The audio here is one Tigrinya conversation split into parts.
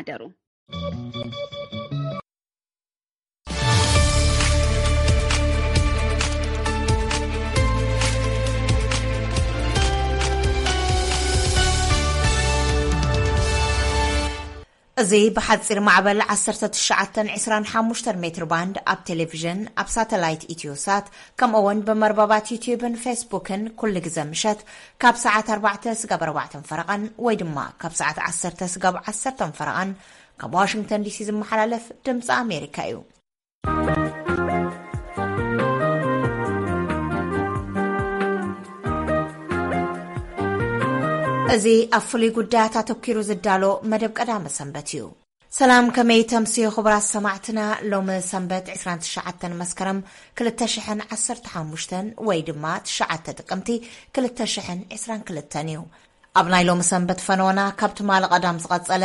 ሓደሩ። እዚ ብሓፂር ማዕበል ዓሰርተ ትሽዓተ ዕስራን ሓሙሽተ ሜትር ባንድ ኣብ ቴሌቪዥን፣ ኣብ ሳተላይት ኢትዮሳት፣ ከምኡ እውን ብመርበባት ዩትዩብን ፌስቡክን ኩሉ ግዘ ምሸት ካብ ሰዓት ኣርባዕተ ስጋብ ኣርባዕተን ፈረቓን ወይ ድማ ካብ ሰዓት ዓሰርተ ስጋብ ዓሰርተን ፈረቓን ካብ ዋሽንግተን ዲሲ ዝመሓላለፍ ድምፂ ኣሜሪካ እዩ። እዚ ኣብ ፍሉይ ጉዳያት ኣተኲሩ ዝዳሎ መደብ ቀዳመ ሰንበት እዩ። ሰላም፣ ከመይ ተምስዩ ክቡራት ሰማዕትና? ሎሚ ሰንበት ዕስራን ትሽዓተን መስከረም ክልተ ሽሕን ዓሰርተ ሓሙሽተን ወይ ድማ ትሽዓተ ጥቅምቲ ክልተ ሽሕን ዕስራን ክልተን እዩ። ኣብ ናይ ሎሚ ሰንበት ፈነወና ካብ ትማሊ ቀዳም ዝቐጸለ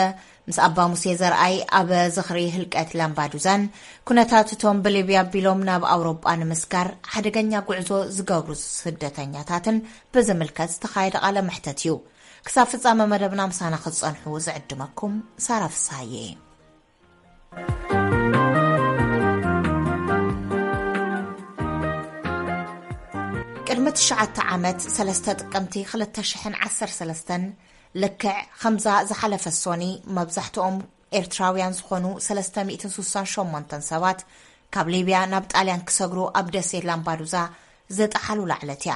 ምስ ኣባ ሙሴ ዘርኣይ ኣብ ዝኽሪ ህልቀት ላምባዱዛን ኩነታት እቶም ብሊብያ ኣቢሎም ናብ ኣውሮጳ ንምስጋር ሓደገኛ ጉዕዞ ዝገብሩ ስደተኛታትን ብዝምልከት ዝተኻየደ ቃለ መሕተት እዩ። ክሳብ ፍጻመ መደብና ምሳና ክትጸንሑ ዝዕድመኩም ሳራ ፍስሃየ እየ። ቅድሚ ትሽዓተ ዓመት ሰለስተ ጥቅምቲ ክልተ ሽሕን ዓሰርተ ሰለስተን ልክዕ ከምዛ ዝሓለፈ ሶኒ መብዛሕትኦም ኤርትራውያን ዝኾኑ ሰለስተ ሚእትን ሱሳን ሸሞንተን ሰባት ካብ ሊብያ ናብ ጣልያን ክሰግሩ ኣብ ደሴት ላምባዱዛ ዝጠሓሉላ ዕለት እያ።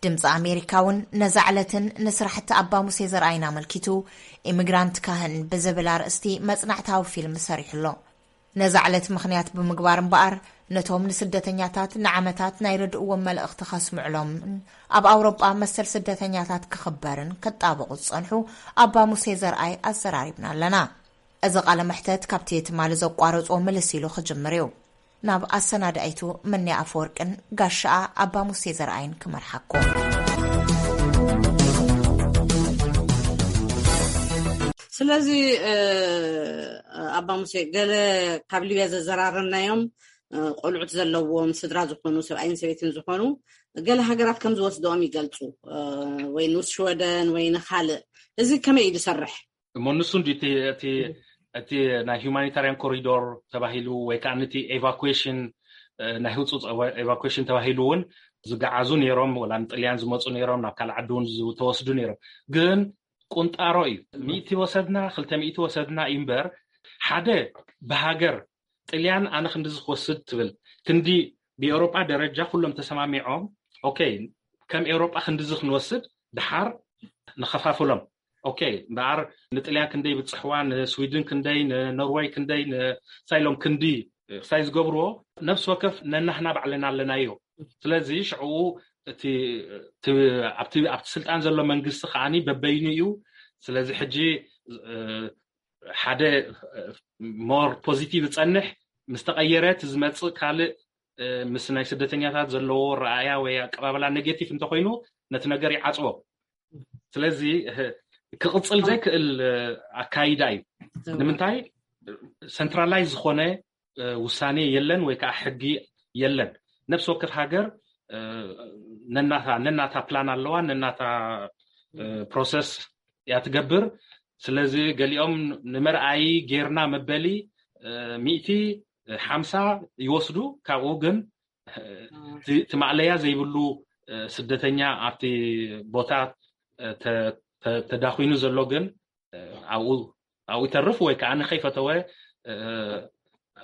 ድምፂ ኣሜሪካ እውን ነዛ ዕለትን ንስራሕቲ ኣባ ሙሴ ዘርኣይን ኣመልኪቱ ኢሚግራንት ካህን ብዝብል ኣርእስቲ መፅናዕታዊ ፊልም ሰሪሑ ኣሎ። ነዛ ዕለት ምኽንያት ብምግባር እምበኣር ነቶም ንስደተኛታት ንዓመታት ናይ ረድእዎም መልእኽቲ ከስምዕሎምን ኣብ ኣውሮጳ መሰል ስደተኛታት ክኽበርን ክጣበቑ ዝፀንሑ ኣባ ሙሴ ዘርኣይ ኣዘራሪብና ኣለና። እዚ ቃለ መሕተት ካብቲ ትማሊ ዘቋረፅዎ ምልስ ኢሉ ክጅምር እዩ። ናብ ኣሰናዳኢቱ ምንያ ኣፈወርቅን ጋሻኣ ኣባ ሙሴ ዘርኣይን ክመርሓኩም። ስለዚ ኣባ ሙሴ፣ ገለ ካብ ሊብያ ዘዘራረብናዮም ቆልዑት ዘለዎም ስድራ ዝኾኑ፣ ሰብኣይን ሰበይትን ዝኾኑ፣ ገለ ሃገራት ከም ዝወስደኦም ይገልጹ፣ ወይ ንሽወደን ወይ ንኻልእ። እዚ ከመይ እዩ ዝሰርሕ? እሞ ንሱ እንዲ እቲ እቲ ናይ ሁማኒታርያን ኮሪዶር ተባሂሉ ወይ ከዓ ነቲ ኤቫኩዌሽን፣ ናይ ህፁፅ ኤቫኩዌሽን ተባሂሉ እውን ዝገዓዙ ነይሮም፣ ወላ ንጥልያን ዝመፁ ነይሮም፣ ናብ ካልእ ዓዲ እውን ዝተወስዱ ነይሮም። ግን ቁንጣሮ እዩ። ሚእቲ ወሰድና፣ ክልተ ሚእቲ ወሰድና እዩ እምበር፣ ሓደ ብሃገር ጥልያን ኣነ ክንድዚ ክወስድ ትብል፣ ክንዲ ብኤውሮጳ ደረጃ ኩሎም ተሰማሚዖም፣ ኦኬ፣ ከም ኤውሮጳ ክንድዚ ክንወስድ፣ ድሓር ንኸፋፍሎም። ኦኬ፣ እምበኣር ንጥልያን ክንደይ ብፅሕዋ፣ ንስዊድን ክንደይ፣ ንኖርወይ ክንደይ፣ ንሳይሎም ክንዲ ክሳይ ዝገብርዎ፣ ነፍሲ ወከፍ ነናህና ባዕልና ኣለናዮ። ስለዚ ሽዕኡ እቲ ኣብቲ ስልጣን ዘሎ መንግስቲ ከዓኒ በበይኑ እዩ። ስለዚ ሕጂ ሓደ ሞር ፖዚቲቭ ዝፀንሕ፣ ምስ ተቐየረ እቲ ዝመፅእ ካልእ ምስ ናይ ስደተኛታት ዘለዎ ረኣያ ወይ ኣቀባበላ ኔጌቲቭ እንተኮይኑ፣ ነቲ ነገር ይዓፅቦ። ስለዚ ክቕፅል ዘይክእል ኣካይዳ እዩ። ንምንታይ? ሰንትራላይዝ ዝኾነ ውሳኔ የለን ወይ ከዓ ሕጊ የለን። ነፍሲ ወከፍ ሃገር ነናታ ነናታ ፕላን ኣለዋ፣ ነናታ ፕሮሰስ እያ ትገብር። ስለዚ ገሊኦም ንመርኣይ ጌርና መበሊ ሚእቲ ሓምሳ ይወስዱ፣ ካብኡ ግን እቲ ማእለያ ዘይብሉ ስደተኛ ኣብቲ ቦታ ተዳኺኑ ዘሎ ግን ኣብኡ ኣብኡ ይተርፍ ወይ ከዓ ንኸይፈተወ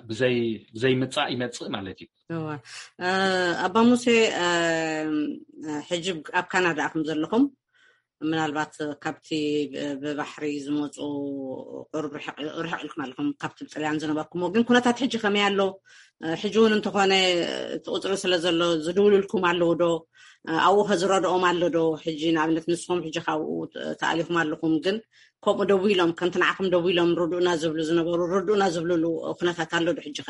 ብዘይ ብዘይ ምጻእ ይመጽእ ማለት እዩ። ኣባ ሙሴ፣ ሕጂ ኣብ ካናዳ ኣኹም ዘለኹም፣ ምናልባት ካብቲ ብባሕሪ ዝመፁ ቁሩብ ርሕቕ ኢልኩም ኣለኹም ካብቲ ብጥልያን ዝነበርኩምዎ። ግን ኩነታት ሕጂ ከመይ ኣሎ? ሕጂ እውን እንተኾነ እቲ ቁፅሪ ስለ ዘሎ ዝድውልልኩም ኣለዉ ዶ? ኣብኡ ከ ዝረድኦም ኣሎ ዶ? ሕጂ ንኣብነት ንስኹም ሕጂ ካብኡ ተኣሊኹም ኣለኹም፣ ግን ከምኡ ደው ኢሎም፣ ከምቲ ንዓኹም ደው ኢሎም ርድኡና ዝብሉ ዝነበሩ ርድኡና ዝብልሉ ኩነታት ኣሎ ዶ ሕጂ ኸ?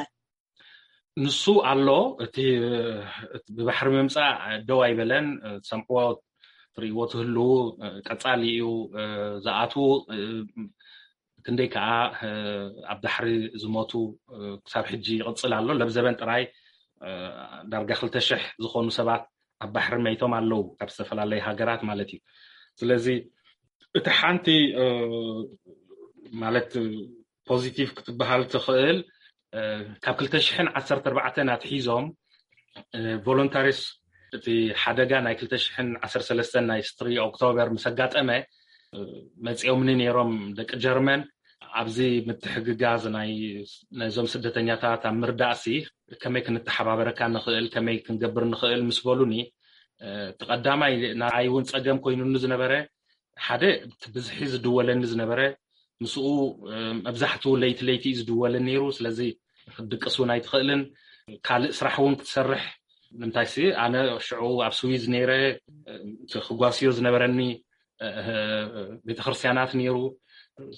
ንሱ ኣሎ። እቲ ብባሕሪ ምምፃእ ደው ኣይበለን። ትሰምዕዎ ትርእይዎ ትህልዉ፣ ቀፃሊ እዩ። ዝኣትዉ ክንደይ ከዓ ኣብ ባሕሪ ዝሞቱ ክሳብ ሕጂ ይቕፅል ኣሎ። ለብዘበን ጥራይ ዳርጋ ክልተ ሽሕ ዝኾኑ ሰባት ኣብ ባሕሪ መይቶም ኣለዉ፣ ካብ ዝተፈላለዩ ሃገራት ማለት እዩ። ስለዚ እቲ ሓንቲ ማለት ፖዚቲቭ ክትበሃል ትኽእል። ካብ ክልተ ሽሕን ዓሰርተ ኣርባዕተን ኣትሒዞም ቮሎንታሪስ እቲ ሓደጋ ናይ ክልተ ሽሕን ዓሰርተ ሰለስተን ናይ ስትሪ ኦክቶበር ምስ ኣጋጠመ መፂኦምኒ ነይሮም ደቂ ጀርመን። ኣብዚ ምትሕግጋዝ ናይ ነዞም ስደተኛታት ኣብ ምርዳእሲ ከመይ ክንተሓባበረካ ንኽእል፣ ከመይ ክንገብር ንኽእል ምስ በሉኒ፣ እቲ ቀዳማይ ንዓይ እውን ፀገም ኮይኑኒ ዝነበረ ሓደ እቲ ብዝሒ ዝድወለኒ ዝነበረ ምስኡ መብዛሕትኡ ለይቲ ለይቲ እዩ ዝድወልን ነይሩ። ስለዚ ክትድቅስ እውን ኣይትኽእልን። ካልእ ስራሕ እውን ክትሰርሕ ንምንታይሲ ኣነ ሽዑ ኣብ ስዊዝ ነይረ። ክጓስዮ ዝነበረኒ ቤተክርስትያናት ነይሩ።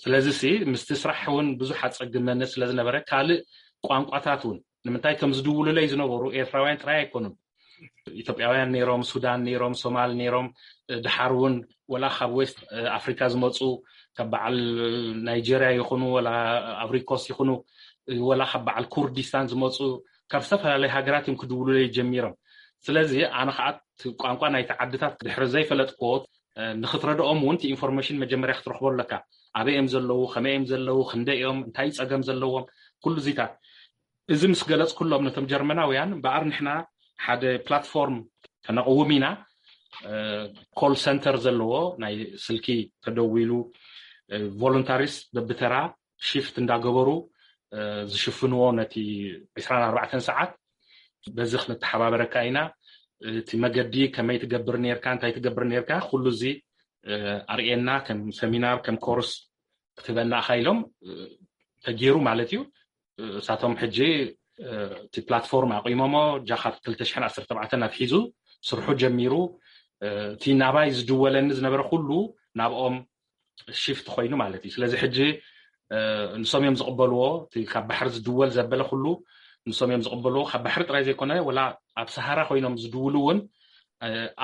ስለዚ ሲ ምስቲ ስራሕ እውን ብዙሕ ኣፀግመኒ ስለዝነበረ ካልእ ቋንቋታት እውን ንምንታይ እቶም ዝድውሉለይ ዝነበሩ ኤርትራውያን ጥራይ ኣይኮኑን። ኢትዮጵያውያን ነይሮም፣ ሱዳን ነይሮም፣ ሶማል ነይሮም፣ ድሓር እውን ወላ ካብ ዌስት ኣፍሪካ ዝመፁ ካብ በዓል ናይጀርያ ይኹኑ ወላ ኣብሪኮስ ይኹኑ ወላ ካብ በዓል ኩርዲስታን ዝመፁ ካብ ዝተፈላለዩ ሃገራት እዮም ክድውሉለይ ጀሚሮም። ስለዚ ኣነ ከዓ ቋንቋ ናይቲ ዓድታት ድሕሪ ዘይፈለጥክዎ ንክትረድኦም እውን ኢንፎርሜሽን መጀመርያ ክትረክቦ ኣለካ። ኣበይ እዮም ዘለዉ፣ ከመይ እዮም ዘለዉ፣ ክንደይ እዮም፣ እንታይ ፀገም ዘለዎም፣ ኩሉ ዚታት እዚ ምስ ገለፅኩሎም ነቶም ጀርመናውያን እምበኣር ንሕና ሓደ ፕላትፎርም ከነቕውም ኢና። ኮል ሰንተር ዘለዎ ናይ ስልኪ ተደዊሉ ቮሎንታሪስ በብተራ ሽፍት እንዳገበሩ ዝሽፍንዎ ነቲ ዕስራን ኣርባዕተን ሰዓት በዚ ክንተሓባበረካ ኢና። እቲ መገዲ ከመይ ትገብር ነርካ፣ እንታይ ትገብር ነርካ፣ ኩሉ እዚ ኣርእየና ከም ሰሚናር ከም ኮርስ ክትህበና ኢኻ ኢሎም ተገይሩ ማለት እዩ። እሳቶም ሕጂ እቲ ፕላትፎርም ኣቂሞሞ ጃኻብ ክልተ ሽሕን ዓሰርተ ኣርባዕተን ኣትሒዙ ስርሑ ጀሚሩ። እቲ ናባይ ዝድወለኒ ዝነበረ ኩሉ ናብኦም ሽፍት ኮይኑ ማለት እዩ። ስለዚ ሕጂ ንሶም እዮም ዝቕበልዎ። እቲ ካብ ባሕሪ ዝድወል ዘበለ ኩሉ ንሶም እዮም ዝቕበልዎ። ካብ ባሕሪ ጥራይ ዘይኮነ ወላ ኣብ ሰሃራ ኮይኖም ዝድውሉ እውን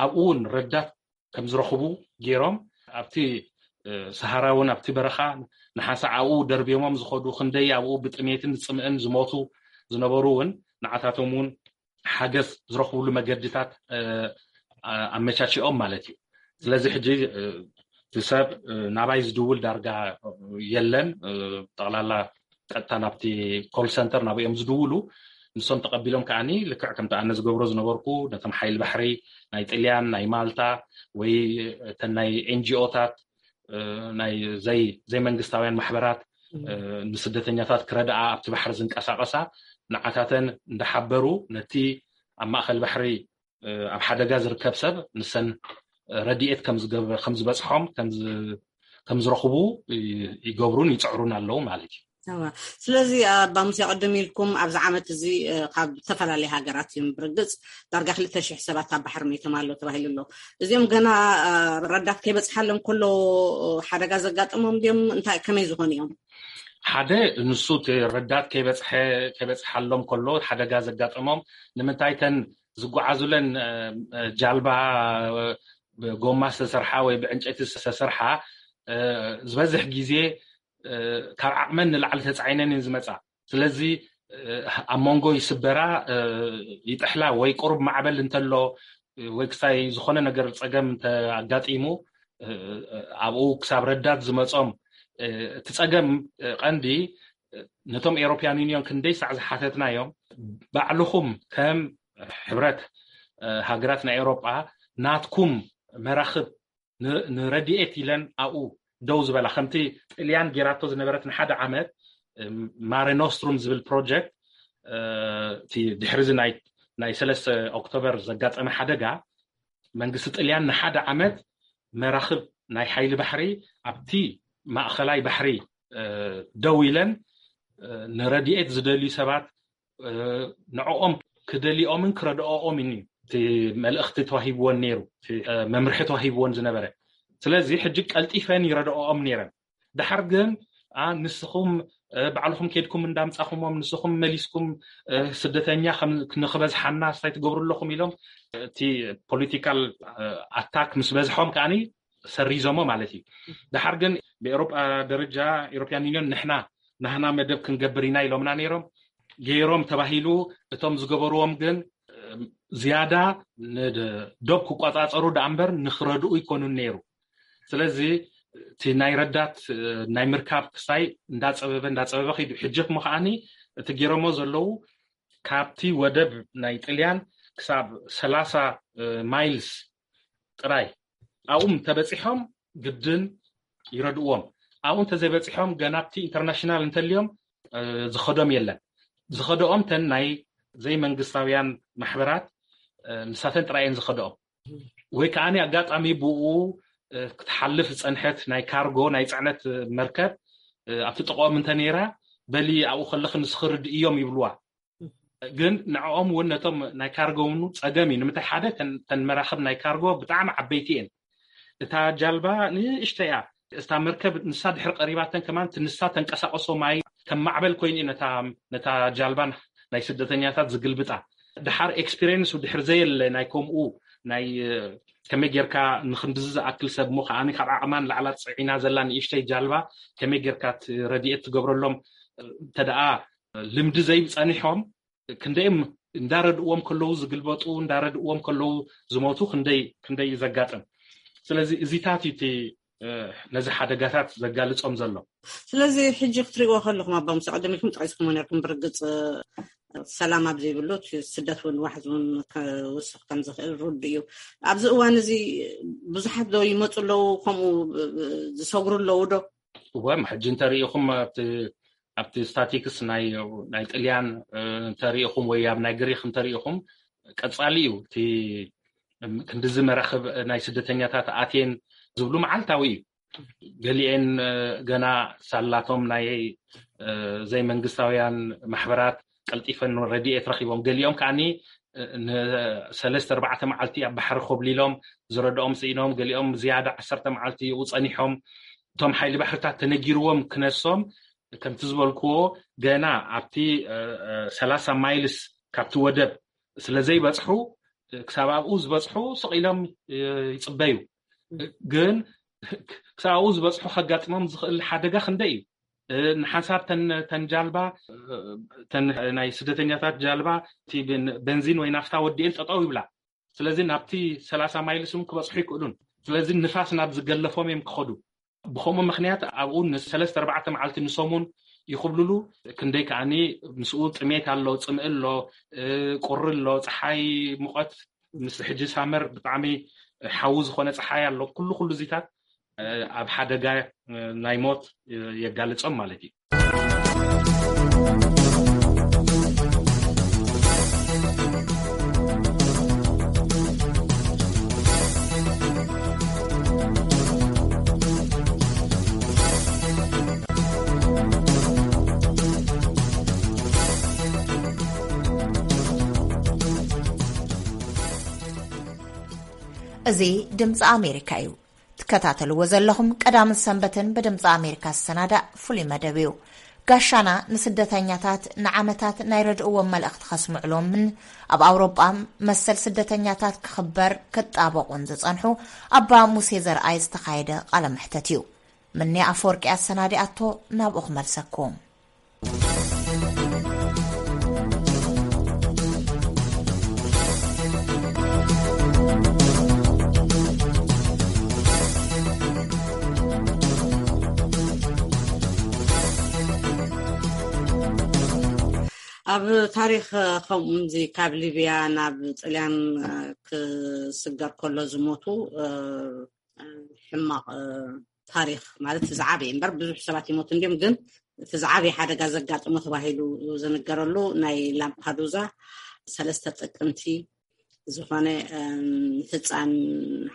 ኣብኡ እውን ረዳት ከም ዝረኽቡ ገይሮም ኣብቲ ሰሃራ እውን ኣብቲ በረኻ ንሓንሳእ ኣብኡ ደርብዮሞም ዝኸዱ ክንደይ ኣብኡ ብጥሜትን ጽምእን ዝሞቱ ዝነበሩ እውን ንዓታቶም እውን ሓገዝ ዝረኽብሉ መገድታት ኣመቻችኦም ማለት እዩ። ስለዚ ሕጂ እቲ ሰብ ናባይ ዝድውል ዳርጋ የለን። ጠቕላላ ቀጥታ ናብቲ ኮል ሰንተር ናብኦም ዝድውሉ ንሶም ተቐቢሎም ከዓኒ ልክዕ ከምቲ ኣነ ዝገብሮ ዝነበርኩ ነቶም ሓይሊ ባሕሪ ናይ ጥልያን ናይ ማልታ ወይ እተን ናይ ኤንጂኦታት ናይ ዘይመንግስታውያን ማሕበራት ንስደተኛታት ክረድኣ ኣብቲ ባሕሪ ዝንቀሳቐሳ ንዓታተን እንዳሓበሩ ነቲ ኣብ ማእኸል ባሕሪ ኣብ ሓደጋ ዝርከብ ሰብ ንሰን ረድኤት ከም ዝበፅሖም ከም ዝረኽቡ ይገብሩን ይፅዕሩን ኣለዉ ማለት እዩ። ስለዚ ኣባ ሙሴ ቅድም ኢልኩም ኣብዚ ዓመት እዚ ካብ ዝተፈላለየ ሃገራት እዮም ብርግፅ ዳርጋ ክልተ ሽሕ ሰባት ኣብ ባሕሪ ሞይቶም ኣሎ ተባሂሉ ኣሎ። እዚኦም ገና ረዳት ከይበፅሓሎም ከሎ ሓደጋ ዘጋጠሞም ድዮም? እንታይ ከመይ ዝኾኑ እዮም? ሓደ ንሱ እቲ ረዳት ከይበፅሐ ከይበፅሓሎም ከሎ ሓደጋ ዘጋጠሞም ንምንታይ ተን ዝጓዓዙለን ጃልባ ብጎማ ዝተሰርሓ ወይ ብዕንጨይቲ ዝተሰርሓ ዝበዝሕ ግዜ ካብ ዓቕመን ንላዕሊ ተፃዒነን እየን ዝመፃ። ስለዚ ኣብ መንጎ ይስበራ ይጥሕላ ወይ ቁሩብ ማዕበል እንተሎ ወይ ክሳይ ዝኾነ ነገር ፀገም እንተኣጋጢሙ ኣብኡ ክሳብ ረዳት ዝመፆም እቲ ፀገም ቀንዲ ነቶም ኤሮፕያን ዩኒዮን ክንደይ ሳዕ ዝሓተትናዮም ባዕልኹም ከም ሕብረት ሃገራት ናይ ኤሮጳ ናትኩም መራኽብ ንረድኤት ኢለን ኣብኡ ደው ዝበላ ከምቲ ጥልያን ጌራቶ ዝነበረት ንሓደ ዓመት ማረ ኖስትሩም ዝብል ፕሮጀክት እቲ ድሕሪ እዚ ናይ ሰለስተ ኦክቶበር ዘጋጠመ ሓደጋ መንግስቲ ጥልያን ንሓደ ዓመት መራኽብ ናይ ሓይሊ ባሕሪ ኣብቲ ማእኸላይ ባሕሪ ደው ኢለን ንረድኤት ዝደልዩ ሰባት ንዕኦም ክደልኦምን ክረድኦኦምን እዩ እቲ መልእኽቲ ተዋሂብዎን ነይሩ፣ መምርሒ ተዋሂብዎን ዝነበረ። ስለዚ ሕጂ ቀልጢፈን ይረድኦኦም ነይረን። ድሓር ግን ንስኹም ባዕልኹም ኬድኩም እንዳምጻኹሞም ንስኹም መሊስኩም ስደተኛ ንኽበዝሓና ስታይ ትገብሩ ኣለኹም ኢሎም እቲ ፖለቲካል ኣታክ ምስ በዝሖም ከዓኒ ሰሪዞሞ ማለት እዩ። ድሓር ግን ብኤሮጳ ደረጃ ኤሮፕያን ዩኒዮን ንሕና ናህና መደብ ክንገብር ኢና ኢሎምና ነይሮም። ገይሮም ተባሂሉ እቶም ዝገበርዎም ግን ዝያዳ ንዶብ ክቆጻጸሩ ደኣ እምበር ንኽረድኡ ይኮኑን ነይሩ። ስለዚ እቲ ናይ ረዳት ናይ ምርካብ ክሳይ እንዳፀበበ እንዳፀበበ ከይዱ። ሕጂ እሞ ከዓኒ እቲ ገይሮሞ ዘለዉ ካብቲ ወደብ ናይ ጥልያን ክሳብ ሰላሳ ማይልስ ጥራይ ኣብኡ እንተበፂሖም ግድን ይረድእዎም። ኣብኡ እንተዘይበፂሖም ገና ኣብቲ ኢንተርናሽናል እንተልዮም ዝኸዶም የለን። ዝኸደኦም ተን ናይ ዘይመንግስታውያን ማሕበራት ንሳተን ጥራይ እየን ዝኸደኦም። ወይ ከዓኒ ኣጋጣሚ ብኡ ክትሓልፍ ዝፀንሐት ናይ ካርጎ ናይ ፅዕነት መርከብ ኣብቲ ጥቕኦም እንተነይራ በሊ ኣብኡ ከለኺ ንስኺ ርድእዮም ይብልዋ። ግን ንዕኦም እውን ነቶም ናይ ካርጎ እውን ፀገም እዩ። ንምንታይ ሓደ ተን መራኽብ ናይ ካርጎ ብጣዕሚ ዓበይቲ እየን። እታ ጃልባ ንእሽተይ እያ። እታ መርከብ ንሳ ድሕሪ ቀሪባተን ከማን ንሳ ተንቀሳቀሶ ማይ ከም ማዕበል ኮይኑ እዩ ነታ ጃልባ ናይ ስደተኛታት ዝግልብጣ። ድሓር ኤክስፒሪየንስ ድሕር ዘየለ ናይ ከምኡ ናይ ከመይ ጌርካ ንክንድዚ ዝኣክል ሰብ ሞ ከዓኒ ካብ ዓቕማ ንላዕላ ፅዒና ዘላ ንእሽተይ ጃልባ ከመይ ጌርካ ረድኤት ትገብረሎም እንተደኣ ልምዲ ዘይፀኒሖም ክንደይም እንዳረድእዎም ከለዉ ዝግልበጡ እንዳረድእዎም ከለዉ ዝሞቱ ክንደይ ክንደይ እዩ ዘጋጥም። ስለዚ እዚታት እዩ እቲ ነዚ ሓደጋታት ዘጋልጾም ዘሎ። ስለዚ ሕጂ ክትሪእዎ ከለኹም ኣባ ሙሳ ቀደም ኢልኩም ጠቂስኩሞ ነርኩም። ብርግጽ ሰላም ኣብ ዘይብሉ ስደት እውን ዋሕዚ እውን ክውስኽ ከም ዝኽእል ርዱ እዩ። ኣብዚ እዋን እዚ ብዙሓት ዶ ይመፁ ኣለዉ ከምኡ ዝሰግሩ ኣለዉ ዶ? እወ ሕጂ እንተሪኢኹም ኣብቲ ስታቲክስ ናይ ጥልያን እንተሪኢኹም ወይ ኣብ ናይ ግሪክ እንተሪኢኹም ቀፃሊ እዩ እቲ ክንድዚ መራኽብ ናይ ስደተኛታት ኣትየን ዝብሉ መዓልታዊ እዩ። ገሊኤን ገና ሳላቶም ናይ ዘይመንግስታውያን ማሕበራት ቀልጢፈን ረድኤት ረኺቦም፣ ገሊኦም ከዓኒ ንሰለስተ ኣርባዕተ መዓልቲ ኣብ ባሕሪ ኮብሊሎም ዝረድኦም ስኢኖም፣ ገሊኦም ዝያዳ ዓሰርተ መዓልቲ ይኡ ፀኒሖም። እቶም ሓይሊ ባሕርታት ተነጊርዎም ክነሶም ከምቲ ዝበልክዎ ገና ኣብቲ ሰላሳ ማይልስ ካብቲ ወደብ ስለ ዘይበፅሑ ክሳብ ኣብኡ ዝበፅሑ ስቕ ኢሎም ይፅበዩ። ግን ክሳብ ኣብኡ ዝበፅሑ ከጋጥሞም ዝኽእል ሓደጋ ክንደይ እዩ? ንሓንሳብ ተን ጃልባ ናይ ስደተኛታት ጃልባ በንዚን ወይ ናፍታ ወዲኤን ጠጠው ይብላ። ስለዚ ናብቲ ሰላሳ ማይልስ እውን ክበፅሑ ይክእሉን። ስለዚ ንፋስ ናብ ዝገለፎም እዮም ክኸዱ። ብኸምኡ ምኽንያት ኣብኡ ንሰለስተ ኣርባዕተ መዓልቲ ንሰሙን ይኽብልሉ። ክንደይ ከዓኒ ምስኡ ጥሜት ኣሎ፣ ፅምኢ ኣሎ፣ ቁሪ ኣሎ፣ ፀሓይ ሙቐት ምስ ሕጂ ሳመር ብጣዕሚ ሓዊ ዝኾነ ፀሓይ ኣሎ። ኩሉ ኩሉ እዚታት ኣብ ሓደጋ ናይ ሞት የጋልፆም ማለት እዩ። እዚ ድምፂ ኣሜሪካ እዩ። ትከታተልዎ ዘለኹም ቀዳምን ሰንበትን ብድምፂ ኣሜሪካ ዝሰናዳእ ፍሉይ መደብ እዩ። ጋሻና ንስደተኛታት ንዓመታት ናይ ረድእዎም መልእኽቲ ከስምዕሎምን ኣብ ኣውሮጳ መሰል ስደተኛታት ክኽበር ክጣበቑን ዝጸንሑ ኣባ ሙሴ ዘርኣይ ዝተኻየደ ቃለ መሕተት እዩ። ምንያ ኣፈወርቂ ኣሰናዲኣቶ ናብኡ ክመልሰኩም። ኣብ ታሪክ ከምኡዚ ካብ ሊብያ ናብ ጥልያን ክስገር ከሎ ዝሞቱ ሕማቅ ታሪክ ማለት ዝዓበየ እምበር ብዙሕ ሰባት ይሞቱ እንዲም ግን እቲ ዝዓበየ ሓደጋ ዘጋጠሞ ተባሂሉ ዝንገረሉ ናይ ላምፓዱዛ ሰለስተ ጥቅምቲ ዝኾነ ፍፃም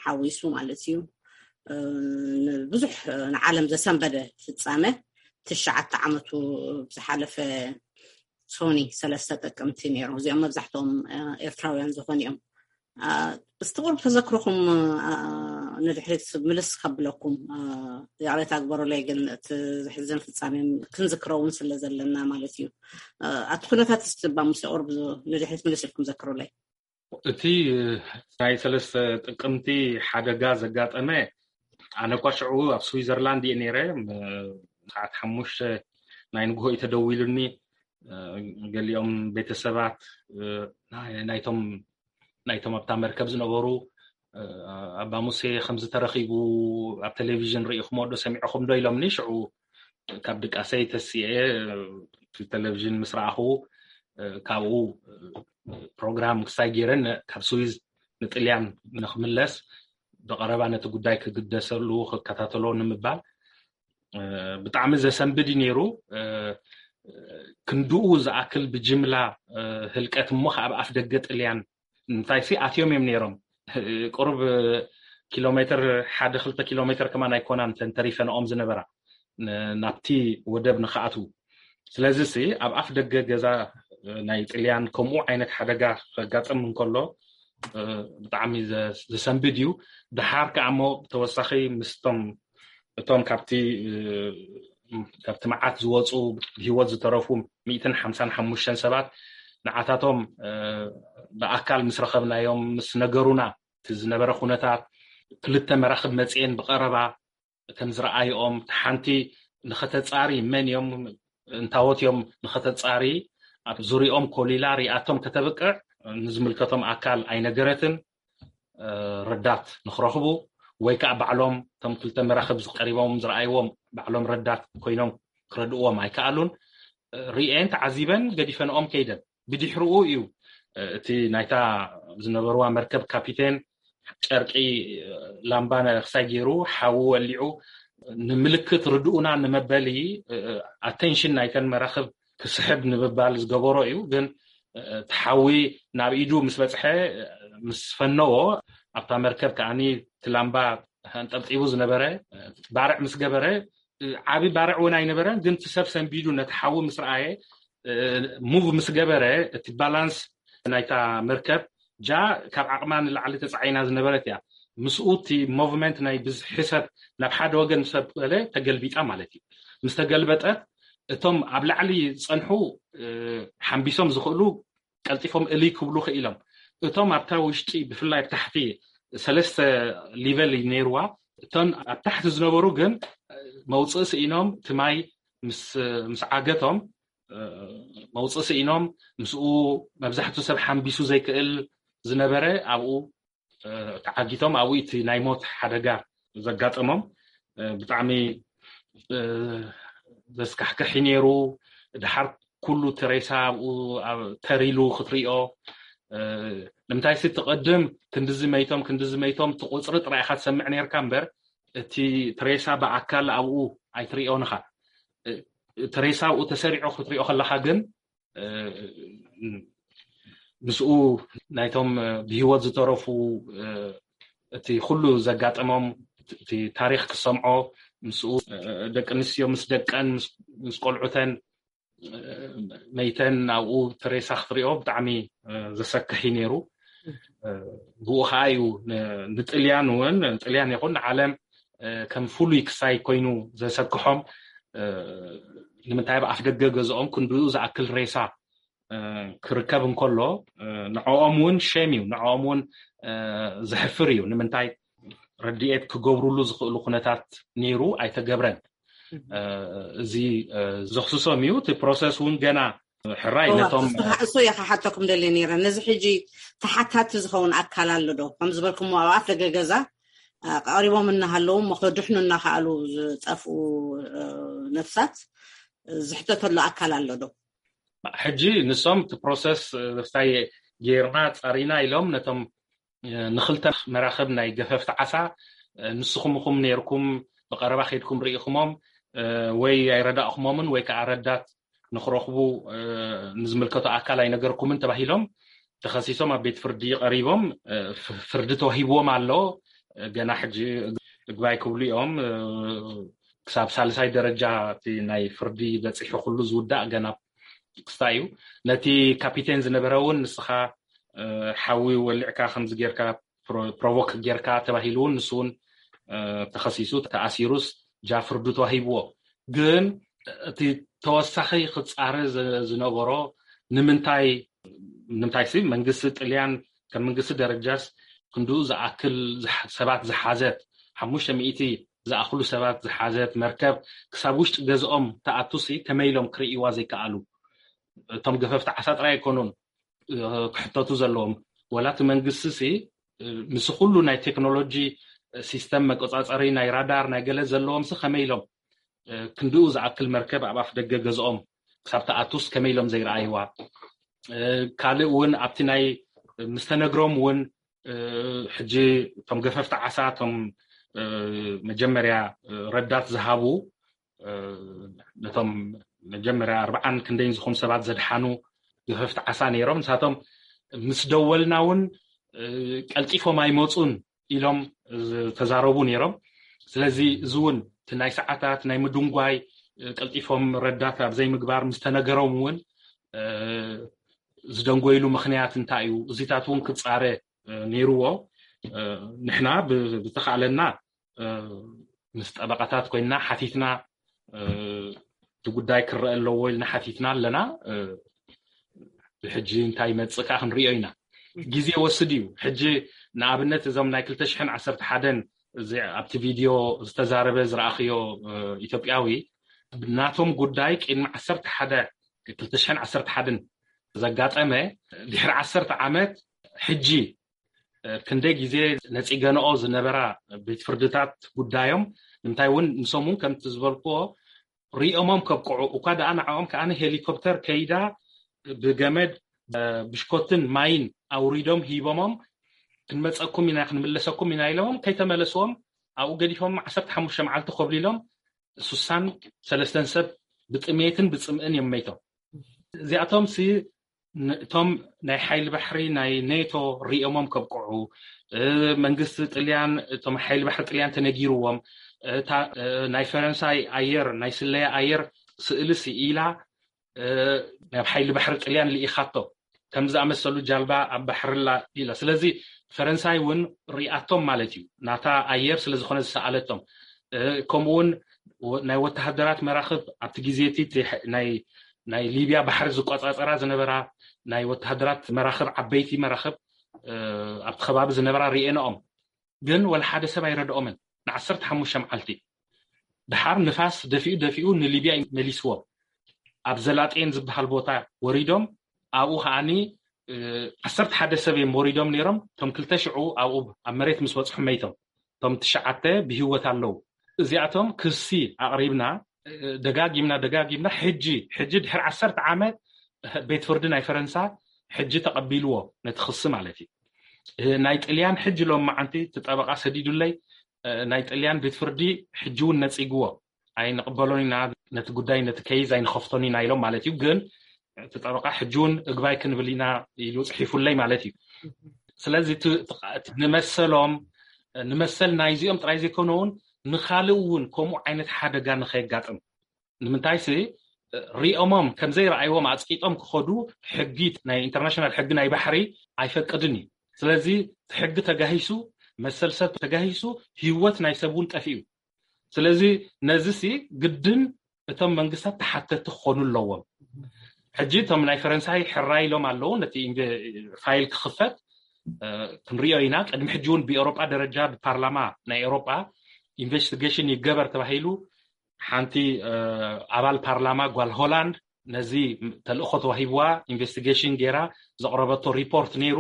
ሓዊሱ ማለት እዩ። ብዙሕ ንዓለም ዘሰንበደ ፍፃመ ትሽዓተ ዓመቱ ዝሓለፈ ሶኒ ሰለስተ ጥቅምቲ ነይሩ። እዚኦም መብዛሕትኦም ኤርትራውያን ዝኾኑ እዮም። እስቲ ቁሩብ ተዘክሮኹም ንድሕሪት ምልስ ከብለኩም ይቕሬታ ግበሩለይ፣ ግን እቲ ዝሕዝን ፍጻሜ ክንዝክሮ እውን ስለ ዘለና ማለት እዩ። ኣብቲ ኩነታት እስቲ ባሙሴ ቁሩብ ንድሕሪት ምልስ ኢልኩም ዘክሩለይ። እቲ ናይ ሰለስተ ጥቅምቲ ሓደጋ ዘጋጠመ ኣነ እኳ ሽዑ ኣብ ስዊዘርላንድ እየ ነይረ። ሰዓት ሓሙሽተ ናይ ንግሆ እዩ ተደዊሉኒ። ገሊኦም ቤተሰባት ናይቶም ናይቶም ኣብታ መርከብ ዝነበሩ ኣባ ሙሴ ከምዚ ተረኺቡ ኣብ ቴሌቪዥን ርኢኹሞ ዶ ሰሚዕኹም ዶ ኢሎምኒ። ሽዑ ካብ ድቃሰይ ተሲኤ ቴሌቪዥን ምስ ረኣኹ ካብኡ ፕሮግራም ክሳይ ገይረን ካብ ስዊዝ ንጥልያን ንክምለስ ብቐረባ ነቲ ጉዳይ ክግደሰሉ ክከታተሎ ንምባል ብጣዕሚ ዘሰንብድ እዩ ነይሩ። ክንድኡ ዝኣክል ብጅምላ ህልቀት እሞ ኣብ ኣፍ ደገ ጥልያን እንታይ ሲ ኣትዮም እዮም ነይሮም። ቁሩብ ኪሎ ሜትር ሓደ ክልተ ኪሎ ሜትር ከማን ኣይኮናን ተንተሪፈንኦም ዝነበራ ናብቲ ወደብ ንክኣትዉ። ስለዚ ሲ ኣብ ኣፍ ደገ ገዛ ናይ ጥልያን ከምኡ ዓይነት ሓደጋ ከጋጥም እንከሎ ብጣዕሚ ዘሰንብድ እዩ። ድሓር ከኣ እሞ ብተወሳኺ ምስቶም እቶም ካብቲ ካብቲ መዓት ዝወፁ ብሂወት ዝተረፉ ሚእትን ሓምሳን ሓሙሽተን ሰባት ንዓታቶም ብኣካል ምስ ረኸብናዮም ምስ ነገሩና እቲ ዝነበረ ኩነታት ክልተ መራኽብ መፅኤን ብቐረባ ከም ዝረኣይኦም ሓንቲ ንኸተፃሪ መን እዮም እንታወት እዮም ንኸተፃሪ ኣብ ዙሪኦም ኮሊላ ሪኣቶም ከተብቅዕ ንዝምልከቶም ኣካል ኣይነገረትን። ረዳት ንክረኽቡ ወይ ከዓ ባዕሎም እቶም ክልተ መራኽብ ዝቀሪቦም ዝረኣይዎም ባዕሎም ረዳት ኮይኖም ክረድእዎም ኣይከኣሉን። ርእየን ተዓዚበን ገዲፈንኦም ከይደን። ብድሕርኡ እዩ እቲ ናይታ ዝነበርዋ መርከብ ካፒቴን ጨርቂ ላምባ ክሳይ ገይሩ ሓዊ ወሊዑ ንምልክት ርድኡና ንመበሊ ኣቴንሽን ናይተን መራኽብ ክስሕብ ንምባል ዝገበሮ እዩ። ግን እቲ ሓዊ ናብ ኢዱ ምስ በፅሐ ምስ ፈነዎ ኣብታ መርከብ ከዓኒ እቲ ላምባ ኣንጠብጢቡ ዝነበረ ባርዕ ምስ ገበረ ዓቢ ባርዕ እውን ኣይነበረን። ግን እቲ ሰብ ሰንቢዱ ነቲ ሓዊ ምስ ረኣየ ሙቭ ምስ ገበረ እቲ ባላንስ ናይታ መርከብ ጃ ካብ ዓቕማ ንላዕሊ ተፃዒና ዝነበረት እያ። ምስኡ እቲ ሞቭመንት ናይ ብዝሒ ሰብ ናብ ሓደ ወገን ምስ ኣበለ ተገልቢጣ ማለት እዩ። ምስ ተገልበጠት እቶም ኣብ ላዕሊ ዝፀንሑ ሓንቢሶም ዝኽእሉ ቀልጢፎም እልይ ክብሉ ክኢሎም። እቶም ኣብታ ውሽጢ ብፍላይ ኣብ ታሕቲ ሰለስተ ሊቨል እዩ ነይርዋ። እቶም ኣብ ታሕቲ ዝነበሩ ግን መውፅኢ ስኢኖም እቲ ማይ ምስ ዓገቶም መውፅኢ ስኢኖም ምስኡ መብዛሕትኡ ሰብ ሓንቢሱ ዘይክእል ዝነበረ ኣብኡ ተዓጊቶም ኣብኡ እቲ ናይ ሞት ሓደጋ ዘጋጠሞም ብጣዕሚ ዘስካሕክሕ ነይሩ። ድሓር ኩሉ እቲ ሬሳ ኣብኡ ተሪሉ ክትሪኦ ንምንታይ ሲ ትቐድም ክንድዚ መይቶም ክንድዚ መይቶም እቲ ቁፅሪ ጥራይ ኢኻ ትሰምዕ ነርካ እምበር እቲ ሬሳ ብኣካል ኣብኡ ኣይትሪኦን ኢኻ። እቲ ሬሳ ኣብኡ ተሰሪዑ ክትሪኦ ከለኻ ግን ምስኡ ናይቶም ብሂወት ዝተረፉ እቲ ኩሉ ዘጋጠሞም እቲ ታሪክ ክሰምዖ ምስኡ ደቂ ኣንስትዮ ምስ ደቀን ምስ ቆልዑተን መይተን ኣብኡ ትሬሳ ክትሪኦ ብጣዕሚ ዘሰክሕ እዩ ነይሩ። ብኡ ከዓ እዩ ንጥልያን እውን ጥልያን ይኹን ንዓለም ከም ፍሉይ ክሳይ ኮይኑ ዘሰክሖም። ንምንታይ ኣብ ኣፍ ደገ ገዝኦም ክንድኡ ዝኣክል ሬሳ ክርከብ እንከሎ ንዕኦም እውን ሸም እዩ፣ ንዕኦም እውን ዘሕፍር እዩ። ንምንታይ ረድኤት ክገብሩሉ ዝኽእሉ ኩነታት ነይሩ ኣይተገብረን። እዚ ዘኽስሶም እዩ። እቲ ፕሮሰስ እውን ገና ሕራይ ነቶም እሱ እየ ክሓተኩም ደልየ ነይረ። ነዚ ሕጂ ተሓታቲ ዝኸውን ኣካል ኣሎ ዶ? ከም ዝበልኩሞ ኣብ ኣፍ ደገ ገዛ ቀሪቦም እናሃለዉ እሞ ከድሕኑ እናኸኣሉ ዝጠፍኡ ነፍሳት ዝሕተተሉ ኣካል ኣሎ ዶ? ሕጂ ንሶም እቲ ፕሮሰስ ብፍታይ ጌርና ፃሪና ኢሎም ነቶም ንክልተ መራኽብ ናይ ገፈፍቲ ዓሳ ንስኹም ኢኹም ነይርኩም ብቐረባ ከይድኩም ርኢኹሞም ወይ ኣይረዳእኹሞምን ወይ ከዓ ረዳት ንክረኽቡ ንዝምልከቶ ኣካል ኣይነገርኩምን ተባሂሎም ተኸሲሶም ኣብ ቤት ፍርዲ ቀሪቦም ፍርዲ ተዋሂብዎም ኣሎ። ገና ሕጂ እግባይ ክብሉ እዮም። ክሳብ ሳልሳይ ደረጃ እቲ ናይ ፍርዲ በፂሑ ኩሉ ዝውዳእ ገና ክስታይ እዩ። ነቲ ካፒቴን ዝነበረ እውን ንስኻ ሓዊ ወሊዕካ ከምዚ ጌርካ ፕሮቮክ ጌርካ ተባሂሉ እውን ንሱ እውን ተኸሲሱ ተኣሲሩስ ጃ ፍርዱ ተዋሂብዎ። ግን እቲ ተወሳኺ ክፃረ ዝነበሮ ንምንታይ ንምንታይ ሲ መንግስቲ ጥልያን ከም መንግስቲ ደረጃስ ክንድኡ ዝኣክል ሰባት ዝሓዘት ሓሙሽተ ሚእቲ ዝኣኽሉ ሰባት ዝሓዘት መርከብ ክሳብ ውሽጢ ገዝኦም ተኣቱሲ ከመይ ኢሎም ክርእይዋ ዘይከኣሉ? እቶም ገፈፍቲ ዓሳ ጥራይ ኣይኮኑን ክሕተቱ ዘለዎም። ወላ እቲ መንግስቲ ሲ ምስ ኩሉ ናይ ቴክኖሎጂ ሲስተም መቆፃፀሪ ናይ ራዳር ናይ ገለ ዘለዎም ሲ ከመይ ኢሎም ክንድኡ ዝኣክል መርከብ ኣብ ኣፍ ደገ ገዝኦም ክሳብ ተኣቱስ ከመይ ኢሎም ዘይረኣይዋ? ካልእ እውን ኣብቲ ናይ ምስተነግሮም እውን ሕጂ እቶም ገፈፍቲ ዓሳ እቶም መጀመርያ ረዳት ዝሃቡ ነቶም መጀመርያ ኣርባዓን ክንደይን ዝኾኑ ሰባት ዘድሓኑ ገፈፍቲ ዓሳ ነይሮም። ንሳቶም ምስ ደወልና እውን ቀልጢፎም ኣይመፁን ኢሎም ዝተዛረቡ ነይሮም። ስለዚ እዚ እውን እቲ ናይ ሰዓታት ናይ ምድንጓይ ቀልጢፎም ረዳት ኣብ ዘይምግባር ምስ ተነገሮም እውን ዝደንጎይሉ ምኽንያት እንታይ እዩ? እዚታት እውን ክፃረ ነይርዎ። ንሕና ብዝተኻእለና ምስ ጠበቃታት ኮይና ሓቲትና እቲ ጉዳይ ክረአ ኣለዎ ኢልና ሓቲትና ኣለና። ብሕጂ እንታይ ይመፅእ ከዓ ክንሪኦ ኢና። ግዜ ወስድ እዩ። ሕጂ ንኣብነት እዞም ናይ ክልተ ሽሕን ዓሰርተ ሓደን ኣብቲ ቪድዮ ዝተዛረበ ዝረኣኽዮ ኢትዮጵያዊ ናቶም ጉዳይ ቅድሚ ዓሰርተ ሓደ ክልተ ሽሕን ዓሰርተ ሓደን ዘጋጠመ ድሕሪ ዓሰርተ ዓመት ሕጂ ክንደይ ግዜ ነፂገንኦ ዝነበራ ቤት ፍርድታት ጉዳዮም ንምንታይ እውን ንሶም እውን ከምቲ ዝበልክዎ ሪኦሞም ከብቅዑ እኳ ደኣ ንዕኦም ከዓ ሄሊኮፕተር ከይዳ ብገመድ ብሽኮትን ማይን ኣውሪዶም ሂቦሞም ክንመፀኩም ኢና ክንምለሰኩም ኢና ኢሎሞም ከይተመለስዎም ኣብኡ ገዲፎም ዓሰርተ ሓሙሽተ መዓልቲ ኮብሊሎም ሱሳን ሰለስተን ሰብ ብጥሜትን ብፅምእን እዮም መይቶም። እዚኣቶም ሲ እቶም ናይ ሓይሊ ባሕሪ ናይ ኔቶ ሪኦሞም ከብቅዑ መንግስቲ ጥልያን እቶም ሓይሊ ባሕሪ ጥልያን ተነጊርዎም ናይ ፈረንሳይ ኣየር ናይ ስለያ ኣየር ስእሊ ስኢላ ናብ ሓይሊ ባሕሪ ጥልያን ልኢኻቶ ከም ዝኣመሰሉ ጃልባ ኣብ ባሕርላ ኢላ ስለዚ ፈረንሳይ እውን ሪኣቶም ማለት እዩ ናታ ኣየር ስለዝኾነ ዝሰኣለቶም ከምኡውን ናይ ወተሃደራት መራኽብ ኣብቲ ግዜ እቲ ናይ ሊብያ ባሕሪ ዝቆፃፀራ ዝነበራ ናይ ወተሃደራት መራኽብ ዓበይቲ መራኽብ ኣብቲ ከባቢ ዝነበራ ርኤንኦም ግን ወላ ሓደ ሰብ ኣይረድኦምን ንዓሰርተ ሓሙሽተ መዓልቲ ድሓር ንፋስ ደፊኡ ደፊኡ ንሊብያ መሊስዎም ኣብ ዘላጤን ዝበሃል ቦታ ወሪዶም ኣብኡ ከዓኒ ዓሰርተ ሓደ ሰብ እዮም ወሪዶም ነይሮም እቶም ክልተ ሽዑ ኣብኡ ኣብ መሬት ምስ በፅሑ መይቶም እቶም ትሽዓተ ብህይወት ኣለዉ እዚኣቶም ክሲ ኣቕሪብና ደጋጊምና ደጋጊምና ሕጂ ሕጂ ድሕሪ ዓሰርተ ዓመት ቤት ፍርዲ ናይ ፈረንሳ ሕጂ ተቐቢልዎ ነቲ ክሲ ማለት እዩ ናይ ጥልያን ሕጂ ሎም መዓንቲ እቲ ጠበቃ ሰዲዱለይ ናይ ጥልያን ቤት ፍርዲ ሕጂ እውን ነፂግዎ ኣይንቕበሎን ኢና ነቲ ጉዳይ ነቲ ከይዝ ኣይንኸፍቶን ኢና ኢሎም ማለት እዩ ግን እቲ ጠበቃ ሕጂ እውን እግባይ ክንብል ኢና ኢሉ ፅሒፉለይ ማለት እዩ ስለዚ ንመሰሎም ንመሰል ናይዚኦም ጥራይ ዘይኮነ እውን ንካልእ እውን ከምኡ ዓይነት ሓደጋ ንኸየጋጥም ንምንታይሲ ሪኦሞም ከምዘይረኣይዎም ኣፅቂጦም ክኸዱ ሕጊ ናይ ኢንተርናሽናል ሕጊ ናይ ባሕሪ ኣይፈቅድን እዩ ስለዚ ሕጊ ተጋሂሱ መሰል ሰብ ተጋሂሱ ህይወት ናይ ሰብ እውን ጠፊኡ ስለዚ ነዚ ሲ ግድን እቶም መንግስታት ተሓተቲ ክኾኑ ኣለዎም ሕጂ እቶም ናይ ፈረንሳይ ሕራይ ኢሎም ኣለዉ ነቲ ፋይል ክኽፈት ክንሪኦ ኢና ቅድሚ ሕጂ እውን ብኤሮጳ ደረጃ ብፓርላማ ናይ ኤሮጳ ኢንቨስቲጌሽን ይገበር ተባሂሉ ሓንቲ ኣባል ፓርላማ ጓል ሆላንድ ነዚ ተልእኾ ተዋሂብዋ ኢንቨስቲጌሽን ገይራ ዘቕረበቶ ሪፖርት ነይሩ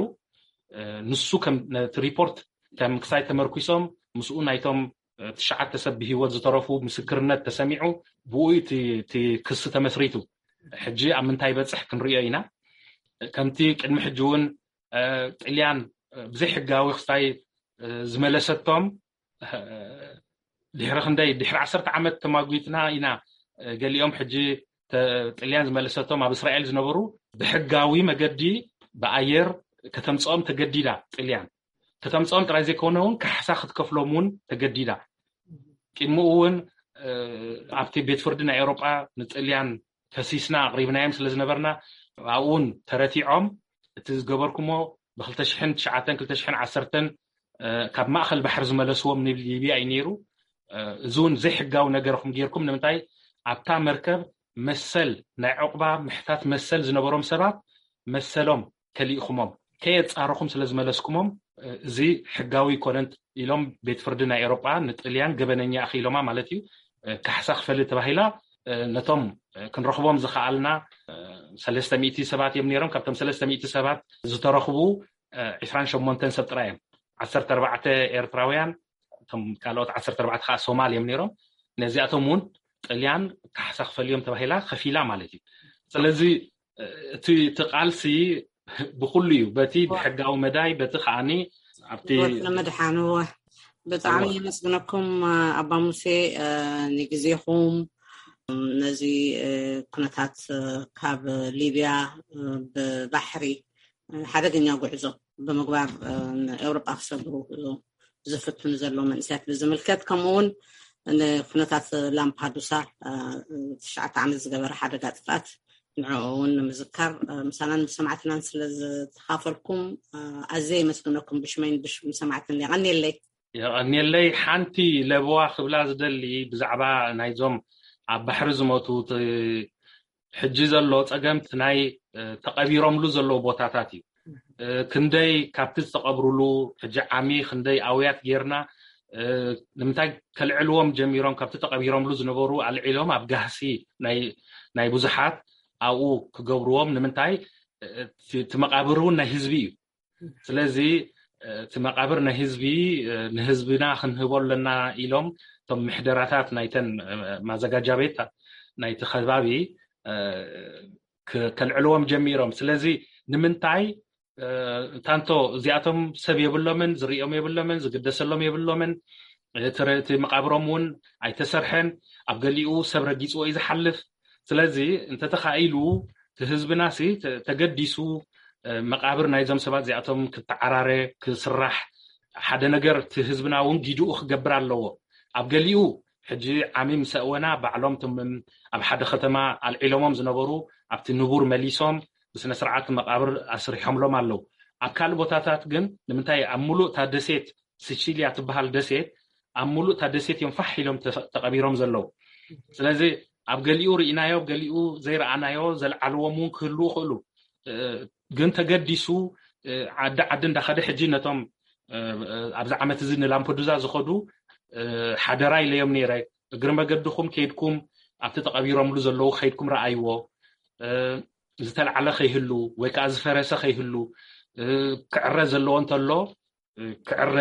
ንሱ ነቲ ሪፖርት ከም ክሳይ ተመርኪሶም ምስኡ ናይቶም ትሽዓተ ሰብ ብህይወት ዝተረፉ ምስክርነት ተሰሚዑ ብኡ እቲ ክሲ ተመስሪቱ ሕጂ ኣብ ምንታይ በፅሕ ክንሪኦ ኢና ከምቲ ቅድሚ ሕጂ እውን ጥልያን ብዘይሕጋዊ ክስታይ ዝመለሰቶም ድሕሪ ክንደይ ድሕሪ ዓሰርተ ዓመት ተማጒትና ኢና ገሊኦም ሕጂ ጥልያን ዝመለሰቶም ኣብ እስራኤል ዝነበሩ ብሕጋዊ መገዲ ብኣየር ከተምፅኦም ተገዲዳ ጥልያን ከተምፅኦም ጥራይ ዘይኮነ እውን ካሕሳ ክትከፍሎም እውን ተገዲዳ ቅድሚኡ እውን ኣብቲ ቤት ፍርዲ ናይ ኤሮጳ ንጥልያን ከሲስና ኣቕሪብናዮም ስለ ዝነበርና ኣብኡን ተረቲዖም እቲ ዝገበርኩሞ ብ2009 2010 ካብ ማእኸል ባሕሪ ዝመለስዎም ንሊብያ እዩ ነይሩ እዚ እውን ዘይሕጋዊ ነገርኩም ጌርኩም ንምንታይ ኣብታ መርከብ መሰል ናይ ዕቑባ ምሕታት መሰል ዝነበሮም ሰባት መሰሎም ከሊእኹሞም ከየፃረኹም ስለ ዝመለስኩሞም እዚ ሕጋዊ ይኮነን ኢሎም ቤት ፍርዲ ናይ ኤሮጳ ንጥልያን ገበነኛ ኣኺሎማ ማለት እዩ ካሕሳ ክፈሊ ተባሂላ ነቶም ክንረኽቦም ዝኸኣልና ሰለስተ ሚእቲ ሰባት እዮም ነይሮም ካብቶም ሰለስተ ሚእቲ ሰባት ዝተረኽቡ ዒስራን ሸሞንተን ሰብ ጥራይ እዮም ዓሰርተ ኣርባዕተ ኤርትራውያን፣ እቶም ካልኦት ዓሰርተ ኣርባዕተ ከዓ ሶማል እዮም ነይሮም። ነዚኣቶም እውን ጥልያን ካሕሳ ክፈልዮም ተባሂላ ከፊላ ማለት እዩ። ስለዚ እቲ እቲ ቃልሲ ብኩሉ እዩ፣ በቲ ብሕጋዊ መዳይ፣ በቲ ከዓኒ ኣብቲ ህይወት ንምድሓን። እወ፣ ብጣዕሚ የመስግነኩም ኣባ ሙሴ፣ ንግዜኹም። ነዚ ኩነታት ካብ ሊብያ ብባሕሪ ሓደገኛ ጉዕዞ ብምግባር ንኤውሮጳ ክሰግሩ ዝፍትኑ ዘለዉ መንእሰያት ብዝምልከት፣ ከምኡ እውን ንኩነታት ላምፓዱሳ ትሽዓተ ዓመት ዝገበረ ሓደጋ ጥፍኣት፣ ንዕኡ እውን ንምዝካር ምሳናን ምስ ሰማዕትናን ስለ ዝተኻፈልኩም ኣዝየ የመስግነኩም ብሽመይን ብሽም ሰማዕትን። የቐንየለይ። የቐንየለይ። ሓንቲ ለበዋ ክብላ ዝደሊ ብዛዕባ ናይዞም ኣብ ባሕሪ ዝሞቱ፣ እቲ ሕጂ ዘሎ ጸገም እቲ ናይ ተቐቢሮምሉ ዘለዉ ቦታታት እዩ። ክንደይ ካብቲ ዝተቐብሩሉ፣ ሕጂ ዓሚ ክንደይ ኣውያት ጌርና፣ ንምንታይ ከልዕልዎም ጀሚሮም? ካብቲ ተቐቢሮምሉ ዝነበሩ ኣልዒሎም ኣብ ጋህሲ ናይ ናይ ብዙሓት ኣብኡ ክገብርዎም ንምንታይ? እቲ መቓብር እውን ናይ ህዝቢ እዩ። ስለዚ እቲ መቓብር ናይ ህዝቢ፣ ንህዝብና ክንህቦ ኣለና ኢሎም እቶም ምሕደራታት ናይተን ማዘጋጃ ቤት ናይቲ ከባቢ ከልዕልዎም ጀሚሮም። ስለዚ ንምንታይ? ታንቶ እዚኣቶም ሰብ የብሎምን፣ ዝርእዮም የብሎምን፣ ዝግደሰሎም የብሎምን። እቲ መቃብሮም እውን ኣይተሰርሐን። ኣብ ገሊኡ ሰብ ረጊፅዎ እዩ ዝሓልፍ። ስለዚ እንተተኻኢሉ እቲ ህዝብና ሲ ተገዲሱ መቃብር ናይዞም ሰባት እዚኣቶም ክተዓራረ፣ ክስራሕ፣ ሓደ ነገር እቲ ህዝብና እውን ጊድኡ ክገብር ኣለዎ። ኣብ ገሊኡ ሕጂ ዓሚ ምስ ኣእወና ባዕሎም እቶም ኣብ ሓደ ከተማ ኣልዒሎሞም ዝነበሩ ኣብቲ ንቡር መሊሶም ብስነ ስርዓት መቃብር ኣስሪሖምሎም ኣለዉ። ኣብ ካልእ ቦታታት ግን ንምንታይ ኣብ ሙሉእ እታ ደሴት፣ ሲቺልያ ትበሃል ደሴት፣ ኣብ ሙሉእ እታ ደሴት እዮም ፋሕ ኢሎም ተቐቢሮም ዘለዉ። ስለዚ ኣብ ገሊኡ ርኢናዮ፣ ኣብ ገሊኡ ዘይረኣናዮ፣ ዘልዓልዎም እውን ክህልዉ ይኽእሉ። ግን ተገዲሱ ዓዲ ዓዲ እንዳኸደ ሕጂ ነቶም ኣብዚ ዓመት እዚ ንላምፐዱዛ ዝኸዱ ሓደራ ኢለዮም ነይረ። እግሪ መገድኹም ከይድኩም ኣብቲ ተቐቢሮምሉ ዘለዉ ከይድኩም ረኣይዎ። ዝተልዓለ ከይህሉ ወይ ከዓ ዝፈረሰ ከይህሉ፣ ክዕረ ዘለዎ እንተሎ ክዕረ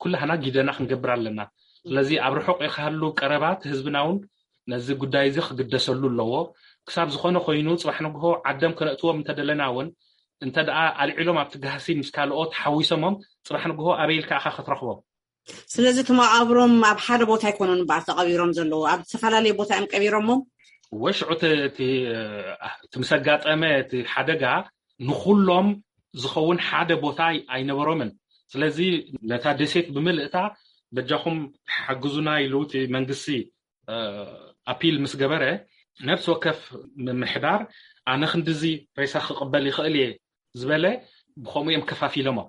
ኩላህና ጊደና ክንገብር ኣለና። ስለዚ ኣብ ርሑቕ ክሃሉ ቀረባት ህዝብና እውን ነዚ ጉዳይ እዚ ክግደሰሉ ኣለዎ። ክሳብ ዝኾነ ኮይኑ ጽባሕ ንግሆ ዓዶም ከነእትዎም እንተደለና እውን፣ እንተ ደኣ ኣልዒሎም ኣብቲ ጋህሲ ምስ ካልኦት ሓዊሶሞም ጽባሕ ንግሆ ኣበይ ኢልካ ኢኻ ክትረኽቦም? ስለዚ እቲ መቓብሮም ኣብ ሓደ ቦታ ኣይኮኑን እምበኣር ተቐቢሮም ዘለዉ፣ ኣብ ዝተፈላለየ ቦታ እዮም ቀቢሮሞም። ወሽዑ እቲ ምስ ኣጋጠመ እቲ ሓደጋ ንኹሎም ዝኸውን ሓደ ቦታ ኣይነበሮምን። ስለዚ ነታ ደሴት ብምልእታ በጃኹም ሓግዙና ኢሉ እቲ መንግስቲ ኣፒል ምስ ገበረ፣ ነፍሲ ወከፍ ምምሕዳር ኣነ ክንድዚ ሬሳ ክቕበል ይኽእል እየ ዝበለ ብኸምኡ እዮም ከፋፊሎሞም።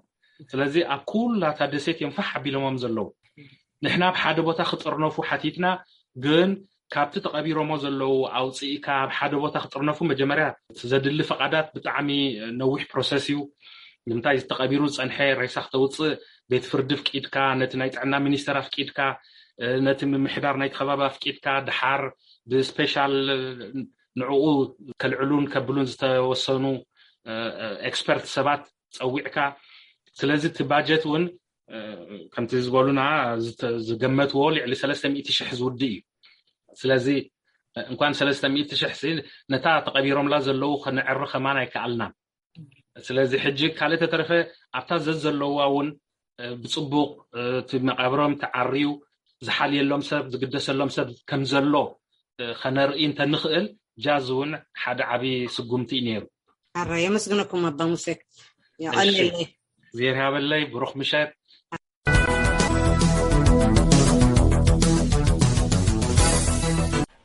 ስለዚ ኣብ ኩላታ ደሴት እዮም ፋሕ ኣቢሎሞም ዘለዉ። ንሕና ኣብ ሓደ ቦታ ክጥርነፉ ሓቲትና፣ ግን ካብቲ ተቐቢሮሞ ዘለዉ ኣውፅኢካ ኣብ ሓደ ቦታ ክጥርነፉ መጀመርያ ዘድሊ ፈቓዳት ብጣዕሚ ነዊሕ ፕሮሰስ እዩ። ንምንታይ ዝተቐቢሩ ዝፀንሐ ሬሳ ክተውፅእ ቤት ፍርዲ ኣፍቂድካ፣ ነቲ ናይ ጥዕና ሚኒስተር ኣፍቂድካ፣ ነቲ ምምሕዳር ናይቲ ከባቢ ኣፍቂድካ፣ ድሓር ብስፔሻል ንዕኡ ከልዕሉን ከብሉን ዝተወሰኑ ኤክስፐርት ሰባት ፀዊዕካ። ስለዚ እቲ ባጀት እውን ከምቲ ዝበሉና ዝገመትዎ ልዕሊ ሰለስተ ሚእቲ ሽሕ ዝውድእ እዩ። ስለዚ እንኳን ሰለስተ ሚእቲ ሽሕ ሲ ነታ ተቐቢሮምላ ዘለዉ ከነዕሪ ከማን ኣይከኣልናን። ስለዚ ሕጂ ካልእ ተተረፈ ኣብታ ዘዘለዋ እውን ብፅቡቕ እቲ መቃብሮም ተዓርዩ ዝሓልየሎም ሰብ ዝግደሰሎም ሰብ ከም ዘሎ ከነርኢ እንተንኽእል ጃዝ እውን ሓደ ዓብዪ ስጉምቲ እዩ ነይሩ። ኣራ የመስግነኩም ኣባ ሙሴ። የቐንየለይ። እግዜር ያበለይ። ብሩኽ ምሸት።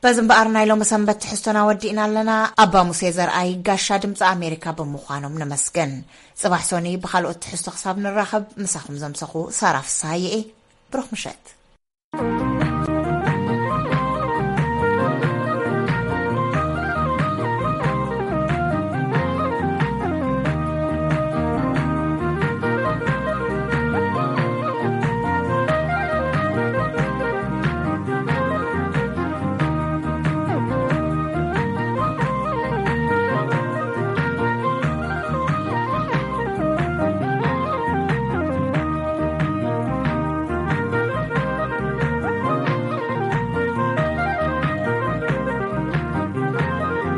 በዚ እምበኣር ናይ ሎሚ ሰንበት ትሕዝቶና ወዲእና ኣለና። ኣባ ሙሴ ዘርኣይ ጋሻ ድምፂ ኣሜሪካ ብምዃኖም ነመስግን። ፅባሕ ሶኒ ብካልኦት ትሕዝቶ ክሳብ ንራኸብ ምሳኹም ዘምሰኹ ሳራ ፍስሃየ እየ። ብሩኽ ምሸት።